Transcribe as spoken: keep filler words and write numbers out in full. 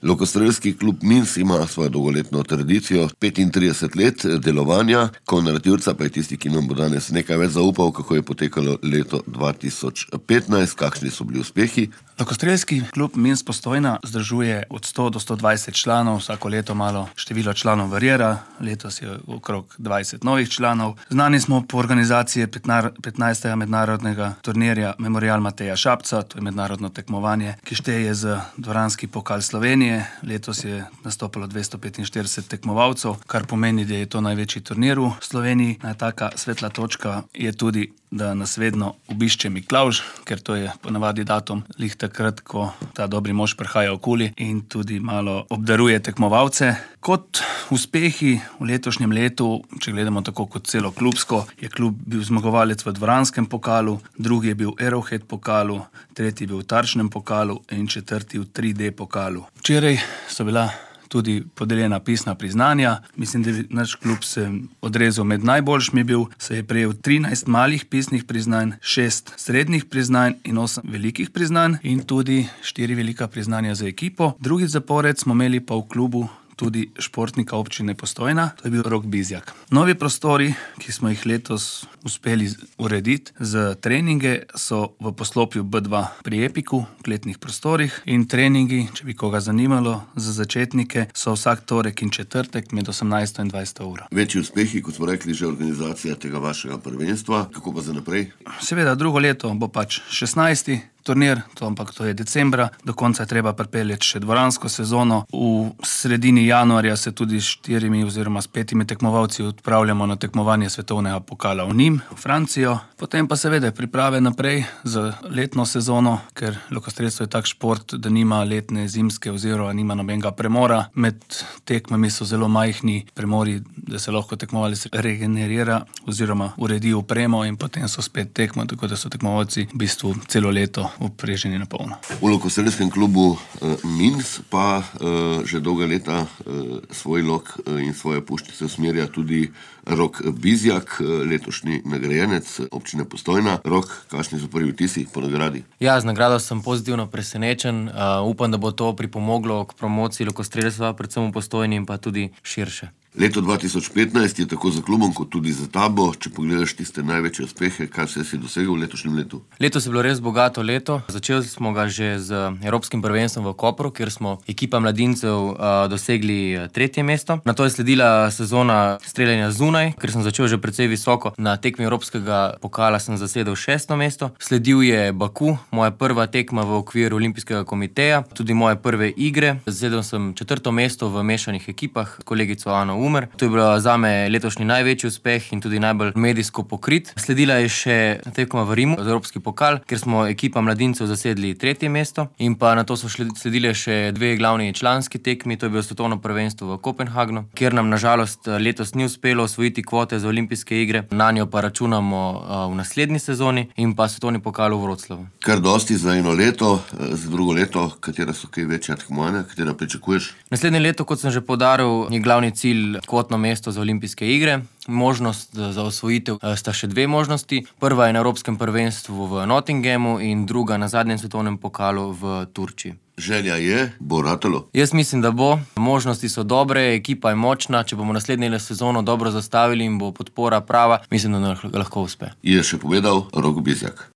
Lokostrelski klub Mins ima svojo dolgoletno tradicijo, petintrideset let delovanja. Konrad Jurca pa je tisti, ki nam bo danes nekaj več zaupal, kako je potekalo leto dva tisoč petnajst, kakšni so bili uspehi. Lokostrelski klub Mins Postojna združuje od sto do sto dvajset članov, vsako leto malo število članov variira, letos je okrog dvajset novih članov. Znani smo po organizaciji petnajstega mednarodnega turnirja Memorial Mateja Šapca, to je mednarodno tekmovanje, ki šteje za dvoranski pokal Slovenije. Letos je nastopilo dvesto petinštirideset tekmovalcev, kar pomeni, da je to največji turnir v Sloveniji. Taka svetla točka je tudi, da nas vedno obišče Miklavž, ker to je ponavadi datum lih takrat, ko ta dobri mož prihaja okoli in tudi malo obdaruje tekmovalce. Kot uspehi v letošnjem letu, če gledamo tako kot celo klubsko, je klub bil zmagovalec v dvoranskem pokalu, drugi je bil Arrowhead pokalu, tretji je bil v tarčnem pokalu in četrti v tri D pokalu. Včeraj so bila tudi podeljena pisna priznanja. Mislim, da naš klub se odrezal med najboljšimi bil, se je prejel trinajst malih pisnih priznanj, šest srednjih priznanj in osem velikih priznanj in tudi štiri velika priznanja za ekipo. Drugi zapored smo imeli pa v klubu tudi športnika občine Postojna, to je bil Rok Bizjak. Novi prostori, ki smo jih letos uspeli urediti za treninge, so v poslopju B dva pri Epiku, v kletnih prostorih, in treningi, če bi koga zanimalo, za začetnike so vsak torek in četrtek med osemnajsto in dvajseto uro. Večji uspehi, kot smo rekli, že organizacija tega vašega prvenstva, kako pa za naprej? Seveda, drugo leto bo pač šestnajsti turnir, to, ampak to je decembra, do konca je treba pripeljati še dvoransko sezono. V sredini januarja se tudi s štirimi oziroma s petimi tekmovalci odpravljamo na tekmovanje svetovnega pokala v Nîmes, v Francijo. Potem pa seveda priprave naprej za letno sezono, ker lokostrelstvo je tak šport, da nima letne, zimske oziroma nima nobenega premora. Med tekmami so zelo majhni premori, da se lahko tekmovalec regenerira oziroma uredi opremo in potem so spet tekmo, tako da so tekmovalci v bistvu celo leto upreženi na polno. V lokostrelskem klubu uh, Mins pa uh, že dolga leta uh, svoj lok uh, in svoje puščice usmerja tudi Rok Bizjak, uh, letošnji nagrajenec občine Postojna. Rok, kakšni so prvi vtisi po nagradi? Ja, z nagrado sem pozitivno presenečen. Uh, upam, da bo to pripomoglo k promociji lokostrelstva, predvsem v Postojni in pa tudi širše. Leto dva tisoč petnajst je tako za klubom kot tudi za tabo. Če pogledaš tiste največje uspehe, kaj vse si dosegel v letošnjem letu? Letos je bilo res bogato leto. Začeli smo ga že z Evropskim prvenstvom v Kopru, kjer smo ekipa mladincev uh, dosegli tretje mesto. Nato je sledila sezona streljanja zunaj, ker sem začel že precej visoko. Na tekmi Evropskega pokala sem zasedel šesto mesto. Sledil je Baku, moja prva tekma v okviru Olimpijskega komiteja, tudi moje prve igre. Zasedel sem četrto mesto v mešanih ekipah, kolegico Ano Umer. To je bilo zame letošnji največji uspeh in tudi najbolj medijsko pokrit. Sledila je še tekma v Rimu za Evropski pokal, kjer smo ekipa mladincev zasedli tretje mesto, in pa nato so sledile še dve glavni članski tekmi, to je bilo svetovno prvenstvo v Kopenhagnu, kjer nam nažalost letos ni uspelo osvojiti kvote za olimpijske igre, na njo pa računamo v naslednji sezoni, in pa svetovni pokal v Vroclavu. Kar dosti za eno leto, za drugo leto, katera so kaj večja tekmovanja, katera pričakuješ? Naslednje leto, kot sem že poudaril, je glavni cilj kvotno mesto za olimpijske igre. Možnost za osvojitev sta še dve možnosti. Prva je na Evropskem prvenstvu v Nottinghamu in druga na zadnjem svetovnem pokalu v Turčiji. Želja je, bo ratalo? Jaz mislim, da bo. Možnosti so dobre, ekipa je močna. Če bomo naslednjo sezono dobro zastavili in bo podpora prava, mislim, da lahko uspe. Je še povedal Rok Bizjak.